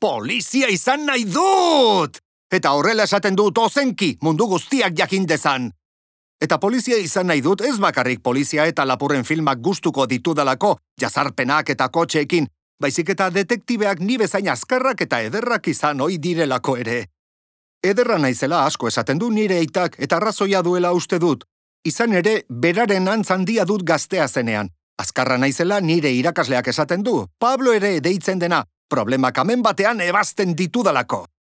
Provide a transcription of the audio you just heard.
polizia izan nahi dut! Eta horrela esaten dut ozenki, mundu guztiak jakin dezan. Eta polizia izan nahi dut ez bakarrik polizia eta lapurren filmak gustuko ditudalako, jazarpenak eta kotxeekin, baizik eta detektibeak ni bezain azkarrak eta ederrak izan ohi direlako ere. Ederra naizela asko esaten du nire aitak eta arrazoia duela uste dut. Izan ere, beraren antz handia dut gaztea zenean. Azkarra naizela nire irakasleak esaten du, Pablo ere deitzen dena, problemak amen batean ebazten ditudalako.